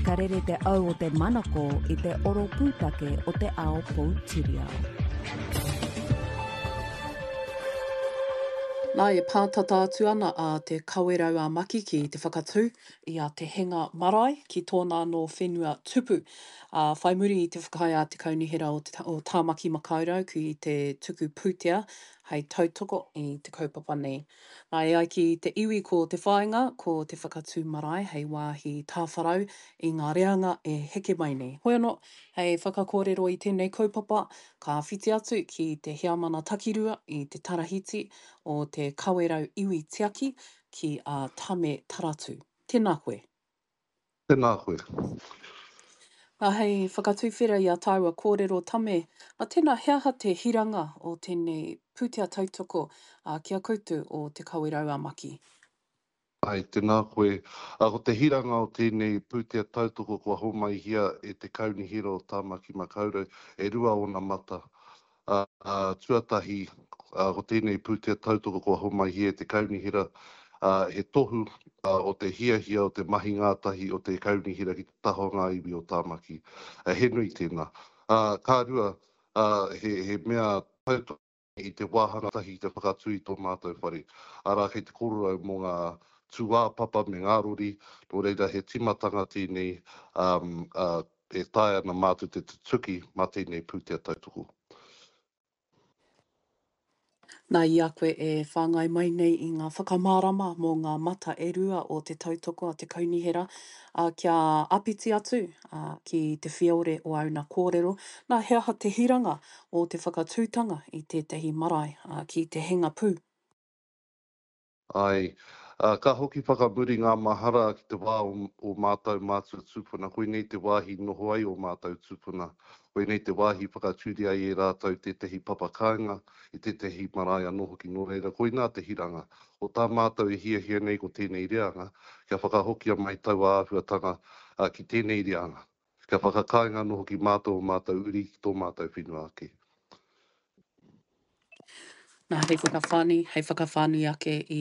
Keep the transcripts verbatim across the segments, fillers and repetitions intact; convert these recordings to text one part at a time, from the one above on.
Ka rere te au o te manako i te oro pūtake o te ao poutiriao. Nā, e pātata atu ana a Te Kawerau a Maki ki te whakatū i a Te Henga Marae ki tōna anō whenua tupu. Ā, whai muri i te whakaae a te Kaunihera o, te, o Tāmaki Makaurau ki te tuku pūtea hei tautoko i te kaupapa nei. Nā, e ai ki te iwi ko te whāinga, ko te whakatū marae hei wāhi tāwharau i ngā reanga e heke mai nei. Hoi anō, hei whakakōrero i tēnei kaupapa, ka whiti atu ki te heamana takirua i te tarahiti o Te Kawerau Iwi Tiaki ki a Tame Taratu. Tēnā koe. Tēnā koe. Nā, hei whakatuwhera i a tāua kōrero Tame, a tēnā he aha te hiranga o tēnei pūtea tautoko a, ki a koutou o Te Kawerau a Maki? Ai, tēnā koe. A, ko te hiranga o tēnei pūtea tautoko kua homaihia e te Kaunihera o Tāmaki Makaurau, e rua ōna mata. A, a, tuatahi, a, ko tēnei pūtea tautoko kua homaihia e te Kaunihera, a, he tohu a, o te hiahia o te mahi ngātahi o te Kaunihera ki te taha o ngā iwi o Tāmaki. A, he nui tēnā. A, ka rua, a, he, he mea tautoko i te wāhanga tahi te whakatū i tō mātou whare. Arā, kei te kororau mō ngā tūāpapa me ngā rori, nō reira he timatanga tēnei um, uh, e taea ana mātou te tutuki mā tēnei pūtea tautoko. Nā, i a koe e whāngai mai nei i ngā whakamārama mō ngā mata e rua o te tautoko a te kaunihera, ā, kia āpiti atu ā, ki te whiore o āuna kōrero, nā, he aha te hiranga o te whakatūtanga i tētahi marae ā, ki te henga pū? Ai, ā, ka hoki whakamuri ngā mahara ki te wā o, o mātou mātua tūpuna. Koinei te wāhi noho ai o mātou tūpuna. Koinei te wāhi whakatūria ai e rātou tētehi papa kāinga, i tētehi marae anō hoki. Nō reira, koinā te hiranga. O tā mātou e hiahia nei ko tēnei reanga, kia whakahokia mai taua āhuatanga ā, ki tēnei reanga. Kia whakakāinga anō hoki mātou o mātou uri ki tō mātou whenua ake. Nā, hei whakawhānui, hei whakawhānui ake i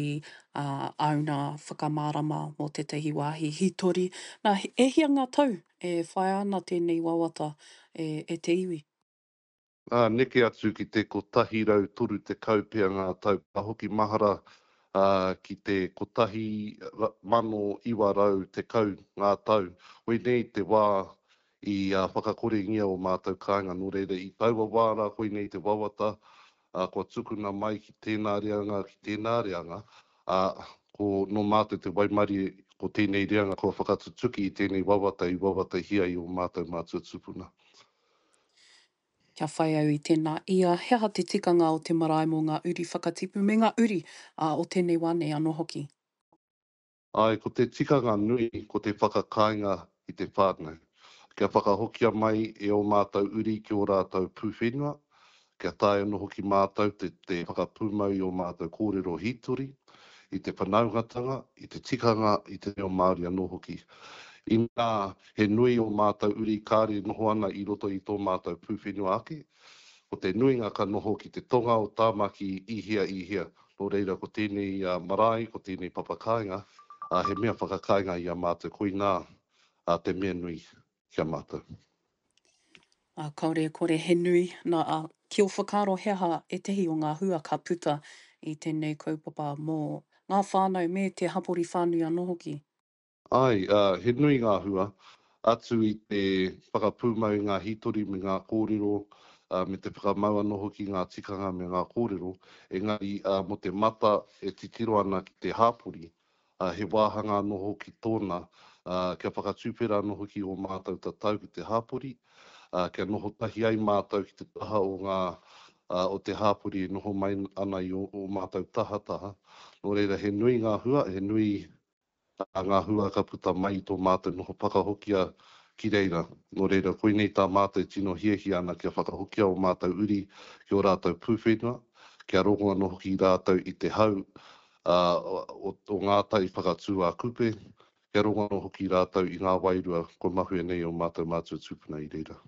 uh, āuna whakamārama mō tētahi wāhi hītori. Nā, e hia ngā tau e whaia ana tēnei wawata e, e te iwi? Ā, neke atu ki te kotahi rau toru tekau pea ngā tau. Ka hoki mahara ā, ki te kotahi mano iwa rau tekau ngā tau. Koinei te wā i ā, whakakorengia o mātou kāinga. Nō reira, i taua wā rā koinei te wawata, ā, kua tukuna mai ki tēnā reanga, ki tēnā reanga, ā, ko nō mātou te waimarie ko tēnei reanga kua whakatutuki i tēnei wawata i wawatahia i ō mātou mātua tūpuna. Kia whai au i tēnā ia, he aha te tikanga o te marae mō ngā uri whakatipu me ngā uri ā, o tēnei wā nei anō hoki? Āe, ko te tikanga nui ko te whakakāinga i te whānau. Kia whakahokia mai e ō mātou uri ki ō rātou pūwhenua, kia taea anō hoki mātou te, te whakapūmau i ō mātou kōrero hītori, i te whanaungatanga, i te tikanga, i te reo Māori anō hoki. Inā, he nui ō mātou uri kāre noho ana i roto i tō mātou pūwhenua ake, ko te nuinga ka noho ki te tonga o Tāmaki i hea i hea. Nō reira, ko tēnei marae, ko tēnei papakāinga, he mea whakakāinga i a mātou, koinā te mea nui ki a mātou. Ā, kāore e kore he nui, nā, ā, ki ō whakaaro he aha ētehi o ngā hua ka puta i tēnei kaupapa mō ngā whānau me te hapori whānui anō hoki? Āe, ā, he nui ngā hua, atu i te whakapūmau i ngā hītori me ngā kōrero, ā, me te whakamau anō hoki i ngā tikanga me ngā kōrero, engari, ā, mō te mata e titiro ana ki te hapori, ā, he wāhanga anō hoki tōna, ā, kia whakatuwhera anō hoki ō mātou tatau ki te hapori, ā, kia noho tahi ai mātou ki te taha o ngā, ā, o te hapori e noho mai ana i ō, ō mātou tahataha. Nō reira, he nui ngā hua, he nui ā, ngā hua ka puta mai i tō mātou noho whakahokia ki reira. Nō reira, koinei tā mātou e tino hiahia ana kia whakahokia ō mātou uri ki ō rātou pūwhenua, kia rongo anō hoki rātou i te hau ā, o, o ngā tai whakatū a Kupe, kia rongo anō hoki rātou i ngā wairua kua mahue nei ō mātou mātua tūpuna i reira.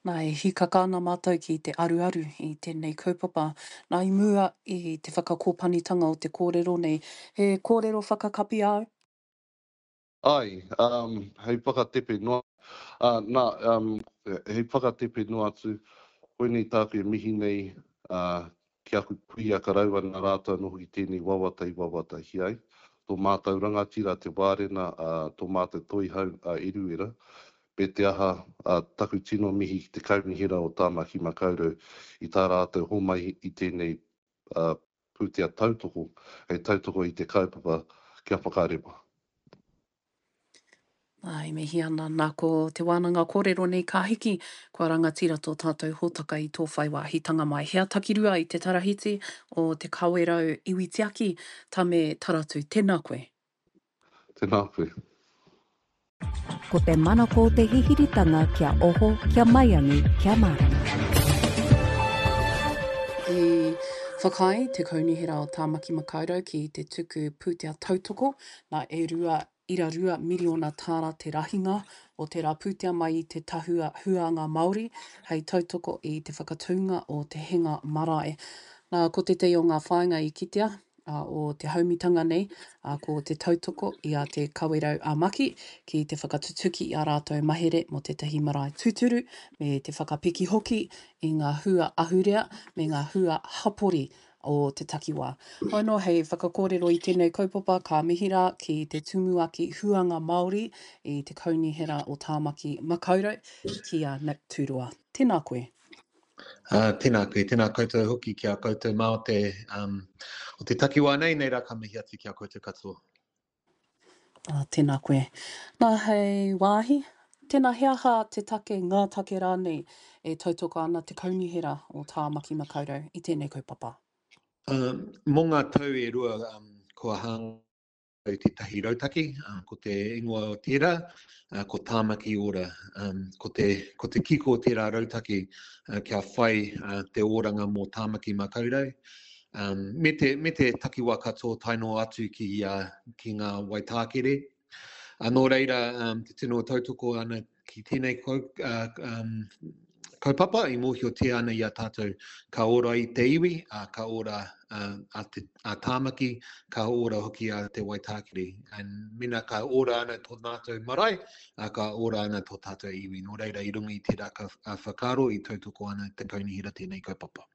Nā, e hīkaka ana mātou ki te aruaru i tēnei kaupapa. Nā, i mua i te whakakōpanitanga o te kōrero nei, he kōrero whakakapi āu? Ai, um, hei whakatepe noa, uh, nā, um, hei whakatepe noa atu, koinei tāku e mihi nei uh, ki aku kuia karaua nā rātou anō hoki tēnei wawata i wawatahia ai. Tō mātou rangatira te Wārena, uh, tō mātou toihau a Eruera, me te aha, uh, taku tino mihi ki te Kaunihera o Tāmaki Makaurau i tā rātou homai i tēnei uh, pūtea tautoko, hei tautoko i te kaupapa kia whakarewa. Ai, mihi ana nā ko te wānanga kōrero nei ka hiki, kua rangatira tō tātou hōtaka i tō whai wāhitanga mai. Hea takirua i te tarahiti o Te Kawerau Iwi Tiaki, Tame Taratu. Tēnā koe. Tēnā koe. Ko te manako o te hihiritanga kia oho, kia maiangi, kia mārama. I whakaae te Kaunihera o Tāmaki Makaurau ki te tuku pūtea tautoko nā e rua ira rua miriona tāra te rahinga o tērā pūtea mai i te Tahua Huanga Māori hei tautoko i te whakatūnga o Te Henga Marae. Nā, ko tētahi o ngā whāinga i kitea o te haumitanga nei, ko te tautoko i a Te Kawerau a Maki ki te whakatutuki i ā rātou mahere mō tētahi marae tūturu me te whakapiki hoki i ngā hua ahurea me ngā hua hapori o te takiwā. Hoi anō, hei whakakōrero i tēnei kaupapa, ka mihi rā ki te Tumuaki Huanga Māori i te Kaunihera o Tāmaki Makaurau, ki a Nick Tūroa. Tēnā koe. Uh, tēnā koe, tēnā koutou hoki ki a koutou mā o te, um, o te takiwā nei, nei rā ka mihi atu ki a koutou katoa. Uh, tēnā koe. Nā, hei wāhi, tēnā he aha te take, ngā take rānei e tautoko ana te Kaunihera o Tāmaki Makaurau i tēnei kaupapa? Um, mō ngā tau e rua um, kua hāngai tētahi rautaki, uh, ko te ingoa o tērā, uh, ko Tāmaki Ora. Um, ko, te, ko te kiko o tērā rautaki uh, kia whai uh, te oranga mō Tāmaki Makaurau. Um, me, te, me te takiwā katoa tae noa atu ki, uh, ki ngā Waitākere. Uh, nō reira, um, te tino tautoko ana ki tēnei kau, uh, um, kaupapa i mōhiotia ana i a tātou ka ora i te iwi, uh, ka ora uh, a, te, a Tāmaki, ka ora hoki a te Waitākere. And mena ka ora ana tō mātou marae, uh, ka ora ana tō tātou iwi. Nō reira, i runga i tērā ka, uh, whakaaro i tautoko ana te kaunihera tēnei kaupapa.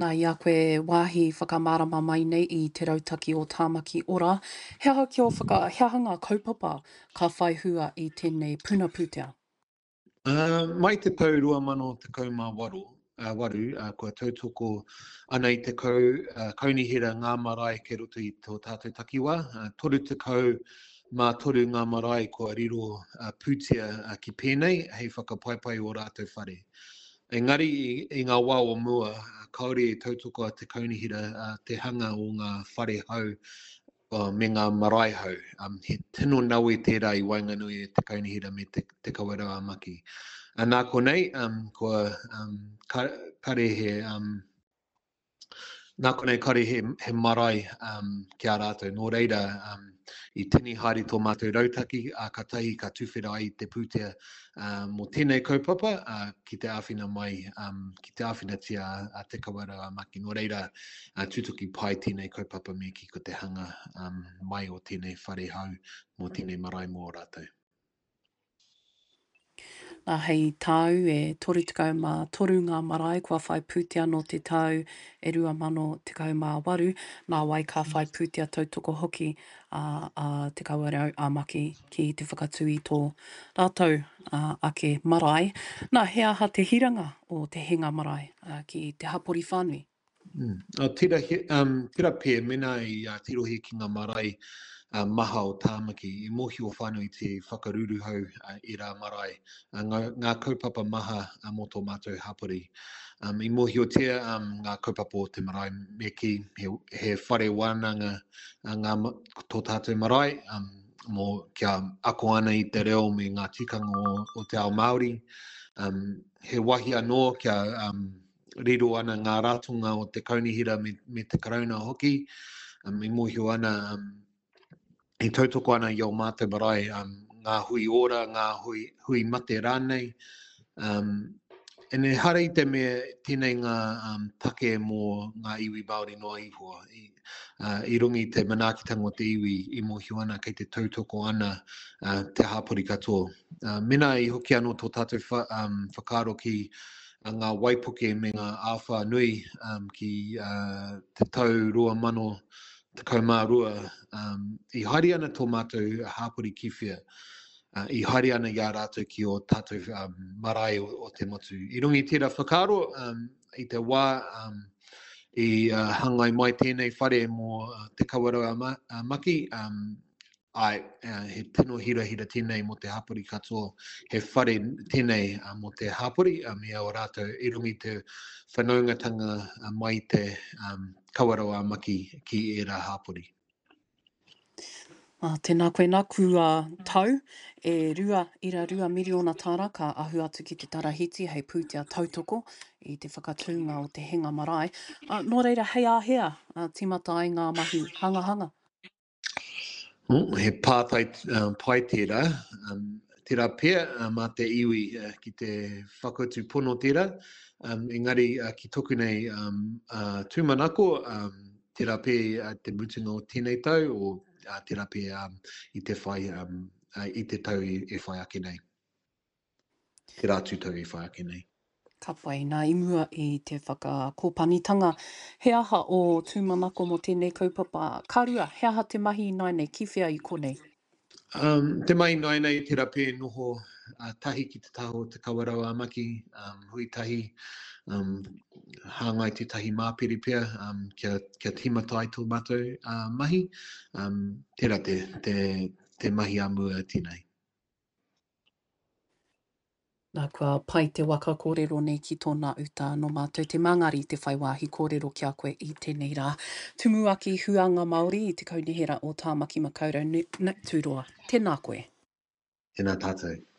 Nā, i a koe wāhi whakamārama mai nei i te rautaki o Tāmaki Ora, he aha ki o whaka, he aha ngā kaupapa ka whai hua i tēnei puna pūtea? Uh, mai te tau rua mano tekau mā waru, uh, waru uh, kua tautoko ana i te kau, uh, kaunihera ngā marae kei roto i tō tātou takiwā. Uh, toru tekau mā toru ngā marae kua riro uh, pūtea uh, ki pēnei hei whakapaipai o rātou whare. Engari i, i ngā wā o mua, uh, kāore e tautoko a te kaunihera uh, te hanga o ngā whare hau uh, me ngā marae hau. Um, he tino nawe tērā i waenganui e te kaunihera me te, te Kawerau a Maki. Uh, nā konei, um, kua um, ka, kare he, um, nā konei kare he, he marae um, ki a rātou. Nō reira, um, i tini haere tō mātou rautaki, a ka tahi ka tuwhera ai te pūtea uh, mō tēnei kaupapa uh, ki te āwhina mai, um, ki te āwhinatia a te Kawerau a Maki. Nō reira, uh, tutuki pai tēnei kaupapa me ki ko te hanga um, mai o tēnei whare hau mō tēnei marae mō rātou. Nā, hei tāu e toru tekau mā toru ngā marae kua whai pūtea nō te tau e rua mano tekau mā waru, nā wai ka whai pūtea tautoko hoki a, a Te Kawerau a Maki ki te whakatū i tō rātou a, ake marae. Nā, he aha te hiranga o te Henga Marae a, ki te hapori whānui? Mm. Uh, tira, um, tira pē, mena i uh, tirohi ki ngā marae uh, maha o Tāmaki, i mōhio whānui te whakaruruhau uh, i rā marae, uh, ngā, ngā kaupapa maha uh, mō tō mātou hapori. Um, i mōhiotia um, ngā kaupapa o te marae me ki, he, he whare wānanga uh, ngā, tō tātou marae, um, mō kia ako ana i te reo me ngā tikanga o, o te ao Māori. Um, he wahi anō kia um, riro ana ngā ratonga o te kaunihera me, me te karauna hoki. Um, i mōhio ana, um, i tautoko ana i o mātou marae, um, ngā hui ora, ngā hui, hui mate rānei. Um, And ehara i te mea tēnei ngā um, take mō ngā iwi Māori noa iho. I, uh, i runga i te manaakitanga o te iwi i mōhio ana kei te tautoko ana uh, te hāpori katoa. Uh, mena i hoki anō tō tātou wha, um, whakaaro ki uh, ngā waipuke me ngā āwhā nui um, ki uh, te tau rua mano tekau mā rua, um, i haere ana tō mātou hāpori ki whea. Uh, i haere ana i a rātou ki o tātou um, marae o, o te motu. I runga i tērā whakaaro, um, i te wā um, i uh, hangai mai tēnei whare mō uh, Te Kawerau a, Ma, a Maki, um, ai, uh, he tino hirahira tēnei mō te hapori katoa, he whare tēnei uh, mō te hapori, uh, me o rātou i runga i te whanaungatanga uh, mai te um, Kawerau a Maki ki ērā hapori. Ah, tēnā koe nā, kua tau e rua ira rua miriona tāra ka ahu atu ki te tarahiti hei pūtea tautoko i te whakatūnga o te Henga Marae. Ah, nō reira, hei āhea, ah, tīmata ai ngā mahi hangahanga? Oh, he pātai um, pai tērā. Um, tērā pea uh, mā te iwi uh, ki te whakautu pono tērā. Um, engari uh, ki toku nei um, uh, tūmanako, um, tērā pea uh, te mutunga o tēnei tau, o uh, tērā pea um, i te whai, um, uh, i te tau e, e whai ake nei. Tērā atu tau e whai ake nei. Ka pai, nā i mua i te whakakōpanitanga. He aha o tūmanako mō tēnei kaupapa? Ka rua, he aha te mahi ināianei, ki whea i konei? Um, te mahi ināianei, tērā pea noho uh, tahi ki te taha o Te Kawerau a Maki, um, hui tahi, um, hāngai tētahi māpere pea, um, kia, kia tīmata ai tō mātou uh, mahi. Um, tērā te, te, te mahi a mua tēnei. Nā, kua pai te waka kōrero nei ki tōna uta nō mātou te mangari te whai wāhi kōrero ki a koe i tēnei rā. Tumuaki Huanga Māori i te Kaunihera o Tāmaki Makaurau Nick Turoa. Tēnā koe. Tēnā tātou.